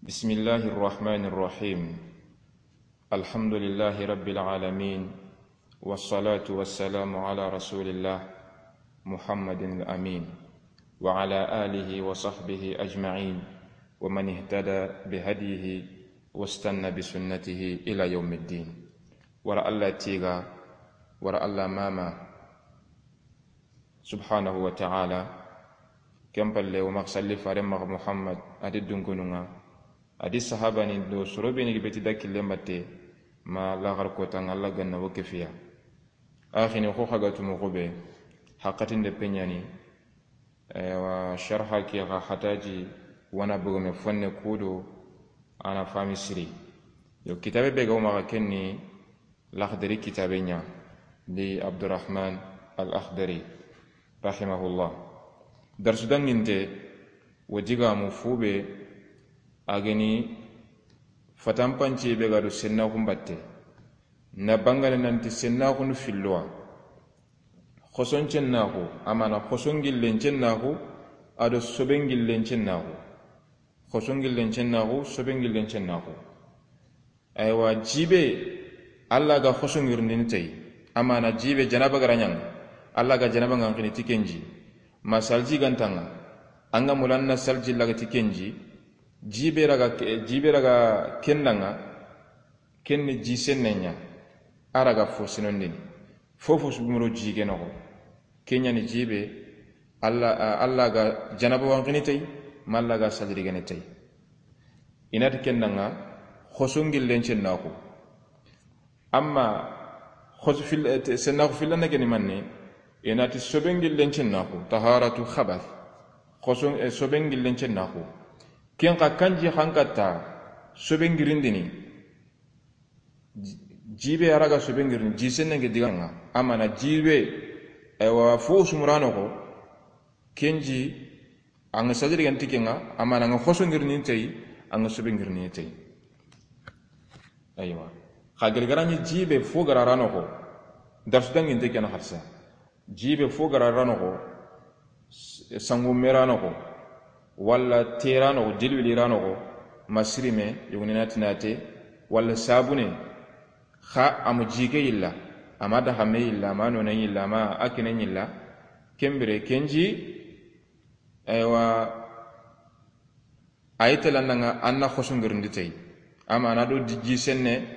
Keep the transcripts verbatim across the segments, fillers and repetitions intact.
بسم الله الرحمن الرحيم. الحمد لله رب العالمين، والصلاة والسلام على رسول الله محمد الأمين، وعلى آله وصحبه أجمعين، ومن اهتدى بهديه واستنى بسنته إلى يوم الدين. Wara Alla tiiga, wara Alla maama, subhanahu wa ta'ala. Ken palle, wo maxa salli faaren maxa Muhammad, a di dunkunun ŋa, a di sahabani do soro be ni ga beti da killen batte, ma laxar kotan ŋa, Alla ga na wo kefiya. Axini xo xa ga tu moxo be, haqatinde peñani, ewa, sharha ke xa hataji wana bogome fonne kudo, a na fami siri. Yo, kitabe be ga wo maxa, ken ni Laxdari kitabe ña, di Abdurrahman al Akhdari, rahimahullah. Darsu danginte, wo digamu fu be, a ga ni fatanpanci be ga do sennaxun batte. Na bangane nanti sennaxunu fillowa. Xoson cennaxu, a mana xoson gillen cennaxu, a do soben gillen cennaxu. Xoson gillen cennaxu, soben gillen cennaxu. Aywa, jibe, Alla ga xoso ngirindini tey. A mana jibe, janaba ga ra ña ŋa, Alla ga janaba ŋa xini ti ken ji. Ma salji ga nta ŋa, an ga mulla na salji laga ti ken ji. Jibe raga ke-, jibe raga ken da ŋa, ken ni ji senne ña. A raga fo sinondini. Fofo su gumuro ji ke noxo. Ken ña ni jibe, Alla, a, Alla ga janaba wa xini tey, ma Alla ga salji rigene tey. I na ti ken da ŋa, xoso ngillen cennaxu. Amma xoso fil-, eh, te-, sennaxu fillana ke ni manne, i na ti soben gillen cennaxu, taharatu khabath. Xoso, eh, soben gillen cennaxu. Ken xa kanji xankatta, soben girindini. Ji-, jibe a raga soben girindini, ji senne ke diga ŋa. A mana jibe, aywa, fo sumura noxo, ken ji, an ga salji rigene ti ken ŋa, a mana an ga xoso ngirindini tey, an ga sobe ngirindini tey. Aywa. Xa gilgara ni jibe fo ga ra ra noxo. Darsu danginte ken na xarsa. Jibe fo ga ra ra noxo. S-, sangume ra noxo. Walla te ra noxo, jilwili ra noxo. Ma sirime, yogoni na ti na te. Walla sabune. Xa a ma ji ke yilla, a ma daxame yilla, a ma noone yilla, a ma a kine yilla, ken bire ken ji, aywa, a yi tela na ŋa an na xoso ngirindi tey. A ma na do di-, ji senne,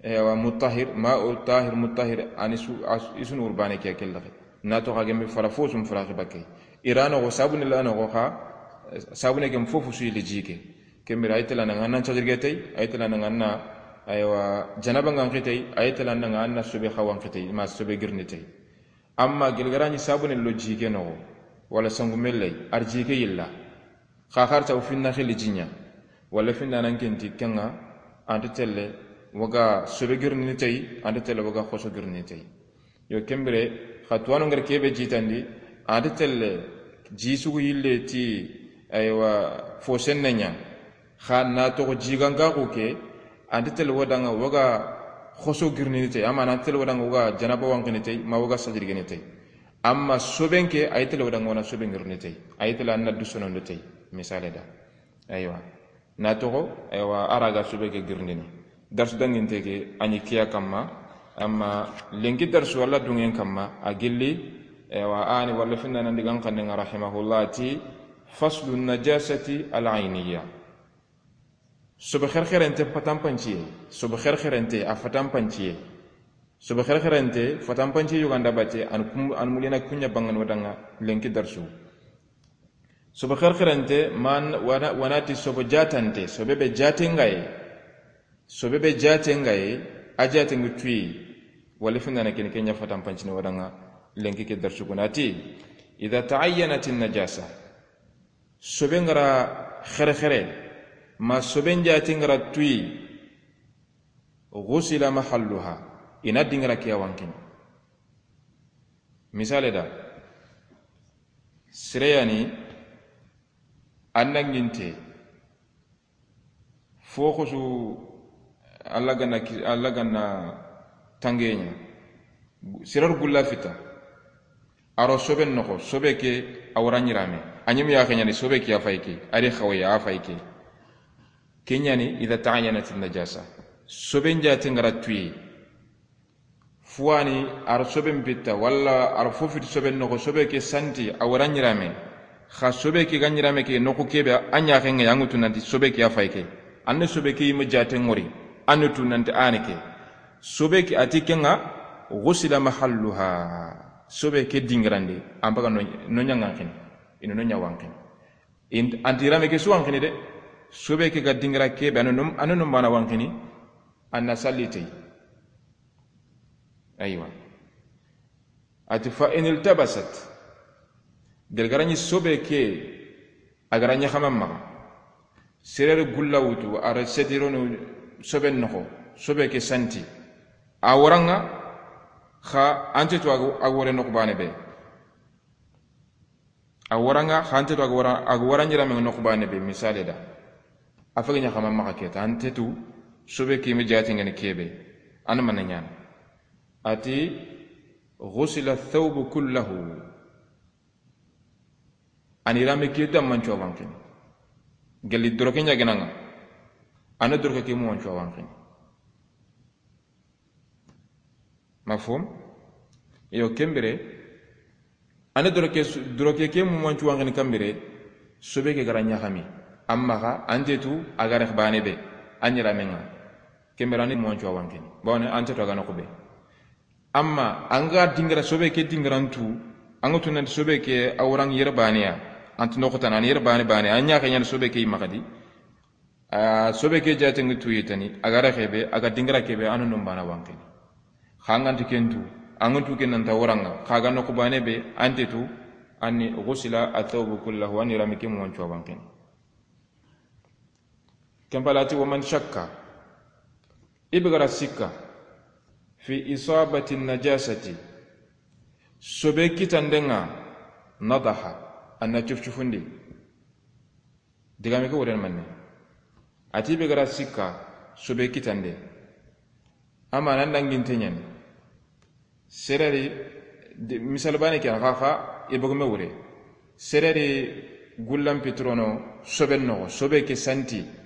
aywa, mutahhir, ma o tahir, mutahhir, ani su, as-, i su ni urbane ke kella. Na to xa gembe fara fo su n fara ke bakke. I ra noxo sabune la noxo xa, sabune kem fofo su yille ji ke. Ken bire a yi tela na ŋa an na salji rige tey, a yi tela na ŋa an na, aywa, janaba ŋa xi tey, a yi tela na ŋa an na sobe xawa xi tey, ma sobe girindi tey. Amma gilgara ni sabune lo ji ke noxo, walla sangume lay, a ri ji ke yilla. Xa xarta wo finna xili ji ña, walla finna nan kenti ken ŋa, an ta telle wo ga sobe girindini tey, an ta telle wo ga xoso girindini tey. Yo, ken bire, xa tuwano ngari kebe jitandi, an ta telle ji sugu yille ti, aywa, fo senne ña. Xa na toxo jigankaxu ke, an ta telle wo da ŋa wo ga xoso girindini tey, a ma na telle wo da ŋa wo ga janaba wa xini tey, ma wo ga salji rigene tey. Amma soben ke, a yi telle wo da ŋa wo na sobe ngirindini tey, a yi telle an na du sonondo tey, misale da. Aywa. Na toxo, aywa, a raga sobe ke girindini. Darsu danginte ke, a ñi kiya kamma, amma lenki darsu walla dungen kamma, a gilli, aywa, a ni walla finna nan digan xannen ŋa rahimahullah ti, faslu najasati al ayniya. Sobe xerxerente fatanpanciye, sobe xerxerente a fatanpanciye. Sobe xerxerente fatanpanciye yoganda batte, an kum-, an mulina kuña bangano da ŋa lenki darsu. Sobe xerxerente man wana, wanati sobe jatante, sobe be jatengaye. Sobe be jatengaye, a jatengu tuyi. Wala findana kini kenya fatan pancini wadanga lenki ke darsu kunati. Idha ta'ayyanati najasa. Sobe ngara xerxere, ma sobe jatengara tuyi. Ghusila mahalluha. Ina dingara kiya wankini. Misale da, sireyani, annanginte, fo xosu, Alla gana ki-, Alla gana tangeña, sirar gulla fita, aro soben noxo, sobe ke a wara ñirame, a ñimu yaxe ñani, sobe ke a fay ke, ari xawaya a fay ke. Ken ɲa ni, idha ta'ayyanati najasa. Soben jaate nga ra tuye. Fuwani, ar soben bitta, walla ar fo fiti soben noxo, sobe ke santi, a wara ɲirame. Xa sobe ke ga ɲirame ke, noxu kebe, a ɲaxen ŋa, yangu tu nanti sobe ke a fay ke. Anne sobe ke yima jaate ŋori, anne tu nanti ane ke. Sobe ke a ti ken ŋa, ghusila mahalluha. Sobe ke dingirande, an baga no, no ɲangan xini. Ino no ɲawan xini. Int-, anti rame ke suwan xini de. Sobe ke ga dingira kebe, anu num, anu num bana wan xini. Anna salli tey. Aywa. A ti fa in iltabasat. Gelgaraɲi sobe ke, a gara ɲaxama maxa. Serere gulla wutu, a ra setironu sobe noxo, sobe ke santi. A waranga, xa ante tu a ga, a ga wore noxu bane be. A waranga, xa ante tu a ga wara, a ga wara ɲirame noxu bane be, misale da. A fage ɲaxama maxa keta, ante tu, sobe ke yima jaate nga ni kebe. An mana ɲana. A ti, ghusila thawbu kullahu. Ani rame ke damman cuwa wan xini. Gelli doroke ɲa gana ŋa. Ana doroke ke mu wan cuwa wan xini. Mafhum? Yo, ken bire, ane doroke su-, doroke ke mu mancu wanxini kan bire, sobe ke gara ɲaxami. Amma xa, ante tu, a ga rex bane be, a ɲirame ŋa. Ken bire ane mu mancu wanxini. Bawne, ante tu a ga noxu be. Amma, an ga dingira sobe ke dingirantu, an ga tu nanti sobe ke a waran yere bane ya. Anti noxu tana, an yere bane bane, a ɲaxe ɲani sobe ke yima xadi. A sobe ke jaate ngi tuyi tani, a ga ra xebe, a ga dingira kebe, anu num bana wanxini. Xa nganti kentu, an ngantu ken nanta waranga, xa ga noxu bane be, ante tu, anni ghusila athawbu kullahu, anni rami ke mu wancu wanxini. Ken palati, wa man shakka, i be gara sikka, fi isabati najasati, sobe kitandenga, nadaha, anna cuf cufundi. Digame ke woren manne. Ati be gara sikka sobe kitande. Ama nan danginte ɲani. Sereri, de, misal bane ke xa xa, e bogume wure. Sereri gullan pitrono sobe noxo, sobe ke santi.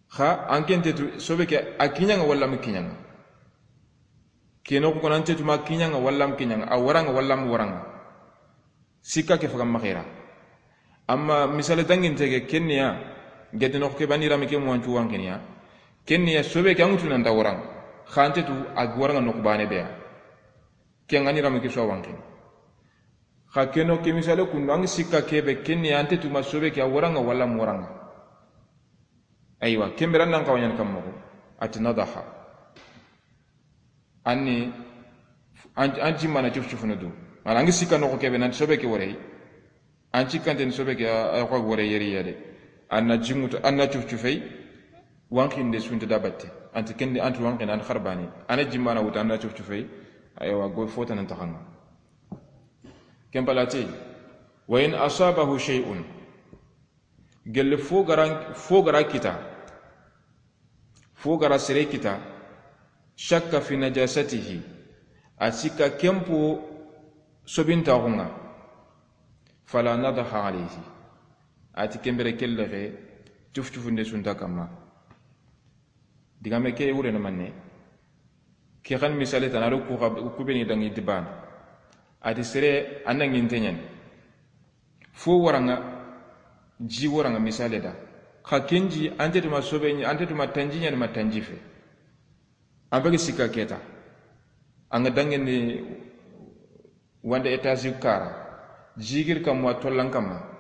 Xa, an kente tu, sobe ke a kiɲanga walla mu kiɲanga. Keno ko nan tetu ma kiɲanga walla mu kiɲanga, a waranga walla mu waranga. Sikka ke faga maxira. Amma misale danginte ke, kenniya, gede noxo ke bani rami ke mu wancu wanxiniya. Kenniya sobe ke an ŋutu nanta waranga. Xa ante tu a waranga noxu bane beya. Ken ŋa ni rami ke so wanxini. Xa keno ke misale kundu, an sikka kebe, kenniya ante tu ma sobe ke a waranga walla mu waranga. Aywa, ken bire nan xawa ɲani kan moxo. Ati nadaha. Anni, an, an jimmana cuf cufunu du. Mana an gi sikka noxo kebe nan sobe ke worey. An cikkante ni sobe ke a, a xo worey yeri yade. Anna jimutu, anna cuf cufey. Wanxinde sunta da batte. Anti kendi, anti wanxinde, an xarbani. Ana jimmana wuta, anna cuf cufey. Aywa, go fota nan taxanga. Ken palati, wa in asabahu shay'un. Gelle fo gara, fo gara kita. Fo gara sere kita. Shakka fi najasatihi. A sikka kempo sobintaxunga. Fala nadaha alayhi. Ati ken bire kellexe cuf cufunde sunta kamma. Digame ke wurene manne. Ke xan misale tana do ku xa, ku beni dangi dibana. Ati sere anna nginte ɲani. Fo waranga, ji waranga misale da. Xa kenji ante tuma sobe ɲi, ante tuma tanji ɲani ma tanji fe. An bege sikka keta. Anga dangeni wanda etasi kara. Jigir kamma tollan kamma.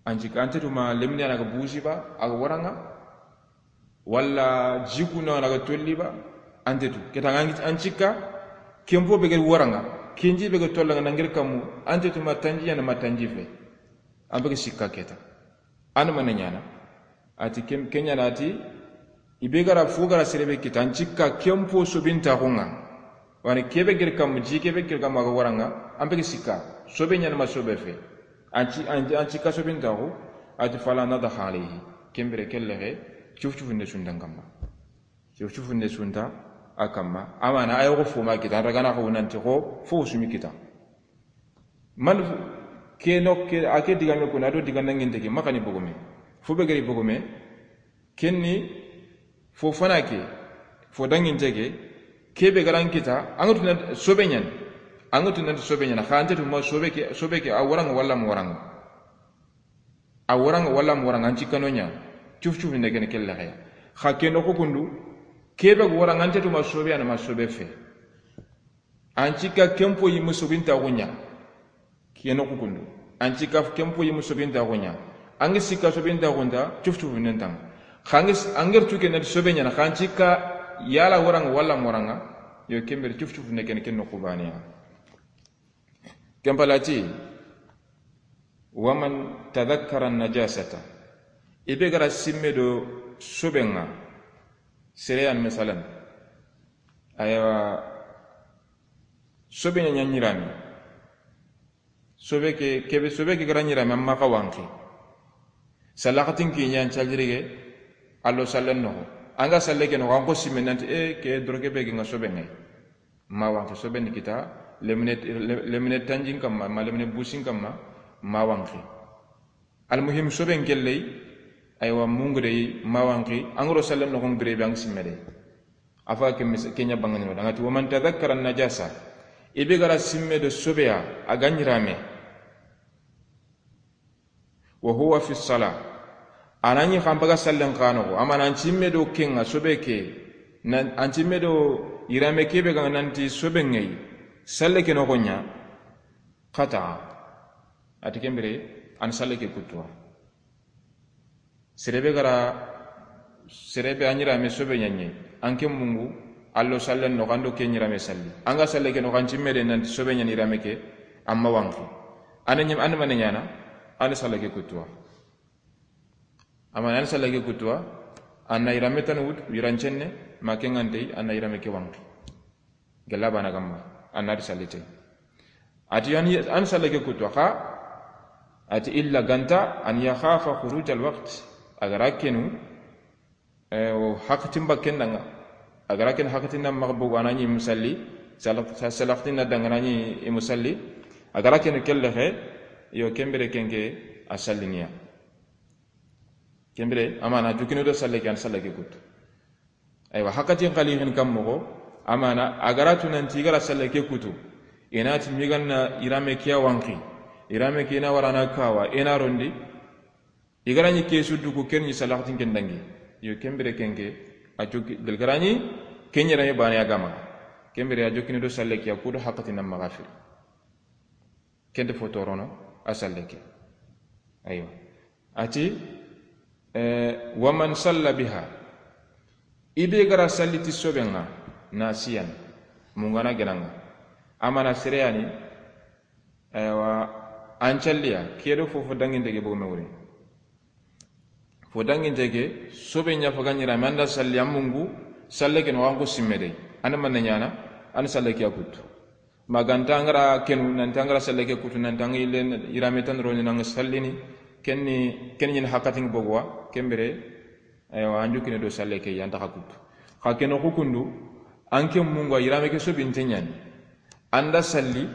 An cikka, ante tu ma lemine ana ga busi ba, a ga waranga. Walla jikuna ana ga tolli ba, ante tu. Keta an cikka, kempo be ga waranga. Kenji be ga tollanga nangir kammu, ante tu ma tanji yana ma tanji fe. An be ga sikka keta. An mana ɲana. Ati ken, ken ɲana ati, i be gara fo gara sere be kita, an cikka kempo sobintaxunga. Wani kebe gir kammu, ji kebe gir kammu a ga waranga, an be ga sikka. Sobe ɲana ma sobe fe. An ci, an, an cikka sobintaxu, ati fala nadaha alayhi. Ken bire kellexe, cuf cufunde sunta kamma. Cuf cufunde sunta a kamma. Amana, ayo ko fo ma kita, an ragana ko nanti ko, fo sumi kita. Man ke no ke, a ke digame kuna do diga nanginte ke, makani bogome. Fo be gari bogome, Ken ni fo fana ke, fo danginte ke, ke be ga ra n kita, an ga tu nanti sobe ɲa ni. An ga tu nanti sobe ɲa ni, xa an ta tu ma sobe ke, sobe ke, a wara ŋa walla ma wara ŋa. A wara ŋa walla ma wara ŋa, an ci kano ɲa. Cuf cuf ne ken kelle xeya. Xa ke noxu kundu, ke be ga wara ŋa an ta tu ma sobe ya na ma sobe fe. An ci ka ken po yi ma sobinta xo ɲa. Ke noxu kundu. An ci ka ken po yi ma sobinta xo ɲa. An ga sikka sobinta xo nta, cuf cuf nen taŋa. Xa an ga s-, an ga ri tu ke nanti sobe ɲa ni, xa an ci ka yala wara ŋa walla ma wara ŋa. Yo ken bire cuf cuf ne ken, ken noxu baane ya. Ken palati, wa man tadhakkara najasata. I be ga ra simme do sobe ŋa. Sere ya ni, masalan. Aywa, sobe ɲa ɲa ɲi rame. Sobe ke, ke be, sobe ke ga ra ɲi rame, amma xa wanqi. Salaxatin ke ɲa n calirige, a lo sallen noxo. An ga salle ke noxo, an xo simme nanti, e, ke doroke be ke ŋa sobe ŋa yi. Ma wanqi, sobe ni kita, lemine, le-, lemine tanjin kamma, ma lemine busin kamma, ma wanqi. Almuhim, soben kelley, aywa, mungudey, ma wanqi, an ga ro sallen noxon bire be an ga simme dey. A fa ke mis-, ke ɲa bangani no, da ŋa ti, wa man tadhakkara najasa, i be ga ra simme do sobe ya, a ga ɲi rame. Wa huwa fi sala. A na ɲi xa n paga sallen xa noxo, amma na an cimme do ke ŋa sobe ke, na an cimme do yirame ke be ga nanti sobe ŋa yi, salle ke noxo ɲa, qata'a. A ti ken bire, an salle ke kutuwa. Sere be ga ra, sere be a ɲi rame sobe ɲa ɲi, an ke mungu, a lo sallen noxo, an do ke ɲi rame salli. An ga salle ke noxo, an cimme de nanti sobe ɲa ni yirame ke, amma wanqi. An ɲi, an ma ne ɲaana, an salle ke kutuwa. Amma an salle ke kutuwa, an na yirame tan wut, yiran cenne, ma ke ŋa nte yi, an na yirame ke wanqi. Gella bana kamma, an na ti salli te. A ti an, an salle ke kutuwa, xa, a ti illa ganta, an yakhafa khuruj al waqt, a ga ra kenu, eh, o haqatin ba ken da ŋa, a ga ra ken haqatin na maxa bogu, a na ɲi i ma salli, sala-, sa-, salaxatin na da ŋa, a na ɲi i ma salli, a ga ra kenu kelle xe, yo ken bire ken ke a sallini ya. Ken bire, amaana, jukini do salle ke, an salle ke kutu. Aywa, haqatin xali xin kam moxo, amaana, a ga ra tu nanti i ga ra salle ke kutu. I na ti mi ga na yirame ke ya wanqi. Yirame ke i na wara na kawa, i na rondi. I ga ra ɲi ke su duku ken ɲi salaxatin ken dangi. Yo, ken bire ken ke, a jokki, gilgara ɲi, ken yirame bane ya ga maxa. Ken bire a jokkini do salle ke ya kudo haqatin na maxa firi. Ken nta fo torono, a salle ke. Aywa. A ti, eh, wa man salla biha. I be ga ra salli ti sobe ŋa, nasiyan. Mungana gena ŋa. Amaana sere ya ni, aywa, an calliya, ke do fofo danginte ke bogu me wure. Fo danginte ke, sobe ɲa faga ɲi rame, an da salli, an mungu, salle ke no, an xo simme dey. An ma ne ɲaana, an salle ke ya kutu. Ma ganta an ga ra kenu, nanti an ga ra salle ke kutu, nanti an ga yille yirame tan roni na ŋa sallini, ken ni, ken ɲi haqatin bogu wa, ken bire, aywa, an jokkini do salle ke ya, an ta xa kutu. Xa ke noxu kundu, an ke mungu a yirame ke sobinte ɲa ni. An da salli,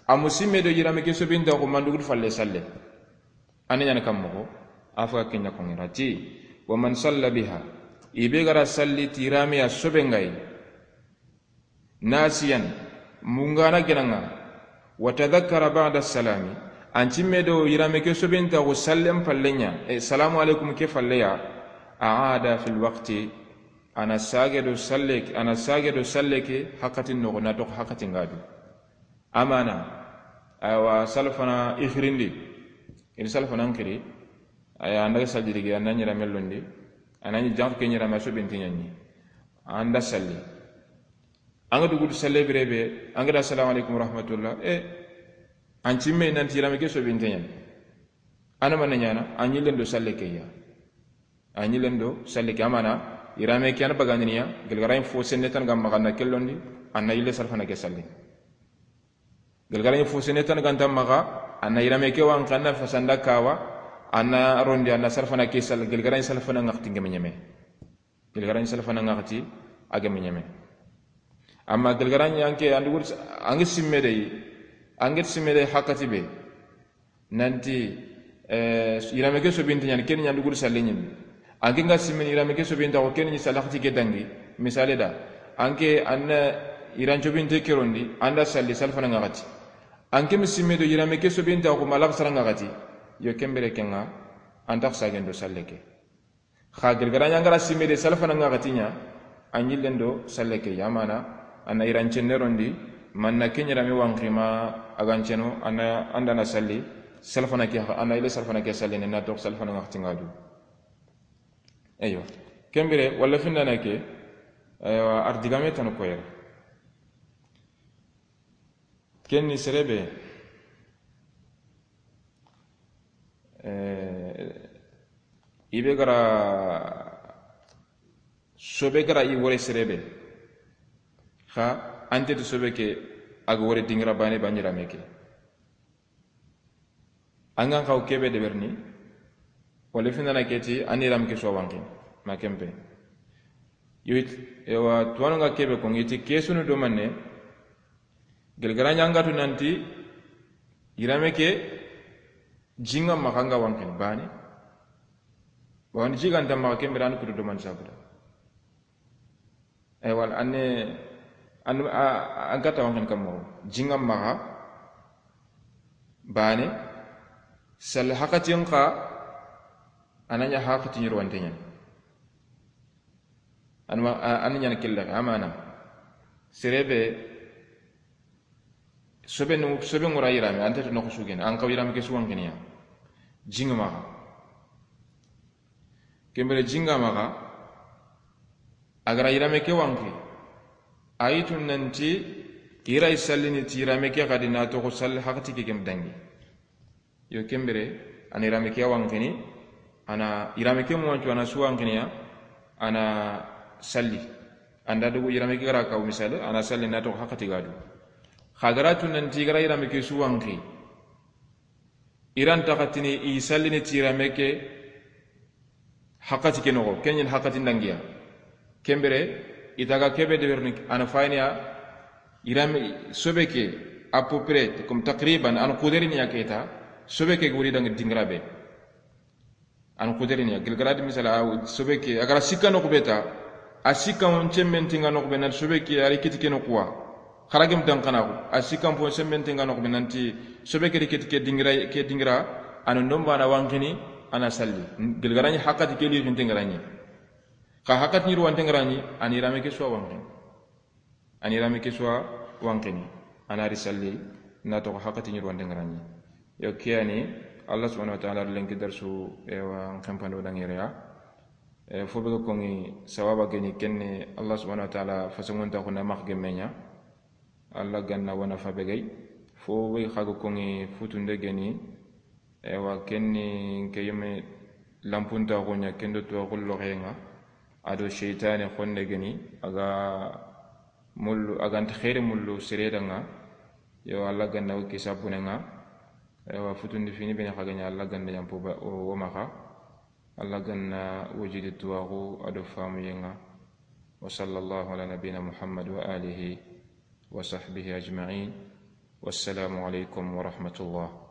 a mu simme do yirame ke sobinte xo, ma an dugudu falle salle. An ɲaana kam moxo, a faga ken ɲa ko ŋa ra ti, wa man salla biha, i be ga ra salli ti yirame ya sobe ŋa yi, nasiyan, mungana gena ŋa, wa tadhakkara ba'da salami, an cimme do yirame ke sobinte xo sallen falle ɲa, e, salamu alaikum ke falle ya, a'ada fil waqti, a na sage do salle ke, a na sage do salle ke haqatin noxo, na toxo haqatin ga du. Amaana, aywa, salfana i xirindi. I di salfana n xiri, aya, an daga salli digi, an na ɲi yirame londi, an na ɲi janx ke ɲi yirame sobinte ɲa ni. An da salli. An ga dugudu salle bire be, an ga da assalamu alaikum wa rahmatullah. E, an cimme nanti yirame ke sobinte ɲa ni. An ma ne ɲaana, an yillen do salle ke ya. An yillen do salle ke, amaana, yirame ke an bagandini ya, gilgara ɲi fo senne tan ga maxa, an na ke londi, an na yille salfana ke salli. Gilgara ɲi fo senne tan ga nta maxa, an na yirame ke wanqi, an na fasa, an da kawa, an na rondi, an na salfana ke salli, gilgara ɲi salfana ŋaxati n geme ɲeme. Gilgara ɲi salfana ŋaxati a geme ɲeme. Amma gilgara ɲi an ke, an dugudu, an ga simme dey, an ga simme dey haqati be. Nanti, eh, yirame ke sobinte ɲa ni, ken ɲa an dugudu salle ɲimi. An ke nga simmini yiraame ke sobinta ko ken ni salli haxati ke dangi. Misale da, an ke an na yiran cobinte ke rondi, an da salli salfana ŋaxati. An ke mi simme do yiraame ke sobinta ko ma laxasara ŋaxati. Yo ken bire ke ŋa, an ta xo sagen do salle ke. Xa gelgara ɲa an ga ra simme de salfana ŋaxati ɲa, an yillen do salle ke ya mana, an na yiran cenne rondi, man na ke ɲi yiraame wanqi ma a ga n ceno, an na, an da na salli salfana ke, an na yille salfana ke salli ne na toxo salfana ŋaxati ŋa du. Eywa. Ken bire, walla findana ke, eywa, ar digame tanu koyere. Ken ni sere be, eh, i be ga ra, sobe ga ra i wore sere be, xa an te ti sobe ke a ga wore dingira bane ba ɲi yiraame ke. An ga n xaw ke be deberini, walla findana ke ti, an yiraame ke su wa wanqini, ma ken pe. Yo it-, ewa, tuwaano nga ke be ko, ngi ti ke su nu do manne, gelgara ɲa an ga tu nanti, yiraame ke, ji ŋa maxa nga wanqini, bane. Bawoni ji ga nta maxa ken bire an kutu do man sabuda. Eywa, an ne, an, a, an kata wanqini kammo. Ji ŋa maxa, bane, salli haxatin xa, a na ɲa haxati ɲi yirwante ɲa ni. An ma, a, an ɲa na kille, a mana. Sere be, sobe nu, sobe ŋura yiraame, an ta ti noxo su gene, an xaw yiraame ke su wanqini ya. Ji ŋa maxa. Ken bire ji ŋa maxa, a ga ra yiraame ke wanqi, a yi tu nanti, i ra yi sallini ti yiraame ke xadi na toxo salli haxati ke ken dangi. Yo ken bire, a na yiraame ke wanqini, a na yiraame ke mu wancu, a na su wanqini ya, a na salli. An da dugu yiraame ke ga ra kaw misale, a na salli na toxo haxati ga du. Xa ga ra tu nanti, i ga ra yiraame ke su wanqi. I ra nta xatini i sallini ti yiraame ke haxati ke noxo, ken ɲi haxati ndangiya. Ken bire, i ta ga ke be deberini, a na fayini ya, yiraame, sobe ke, à peu près, comme taqriban, a na kuderini ya ke ta, sobe ke wori dangi dingira be. A na kuderini ya, gelgara di misala, a sobe ke, a ga ra sikka noxo be ta, a sikka on cemmen tinga noxo be na sobe ke, a ri kiti ke noxo wa. Xaragem dan kana ko, a sikka on fo cemmen tinga noxo be nanti, sobe ke ri kiti ke dingira, ke dingira, a na ndomba na wanqini, a na salli. Gelgara ɲi haxati ke li xinte ngara ɲi. Xa haxati ɲi yirwante ngara ɲi, a na yiraame ke su wa wanqini. A na yiraame ke su wa wanqini, a na ri salli, na toxo haxati ɲi yirwante ngara ɲi. Yo ke ya ni, Allah subhanahu wa ta'ala lenki darsu, ewa, n xenpando dangere ya. E, fo be ga koŋi sawaba geni kenne, Allah subhanahu wa ta'ala fasangonta xo na max gemme ɲa. Allah ga na wa na fa be gay. Fo be xa ga koŋi futunde geni, Ewa, ken ni ke yeme lampunta xo ɲa, ken do tuwaxu loxe ŋa, a do seytane xonne geni, a ga mullu, a ga nta xeeri mullu sere da ŋa. Yo, Allah ga na wo kisa bune ŋa. Ewa, futundi fini bene xa ga ɲa, Allah ga na yampu ba, o, wo maxa. Allah ga na wujidi tuwaxu a do famuye ŋa. Wa sallallahu ala nabina Muhammad wa alihi wa sahbihi ajma'in. Wassalamu alaikum wa rahmatullah.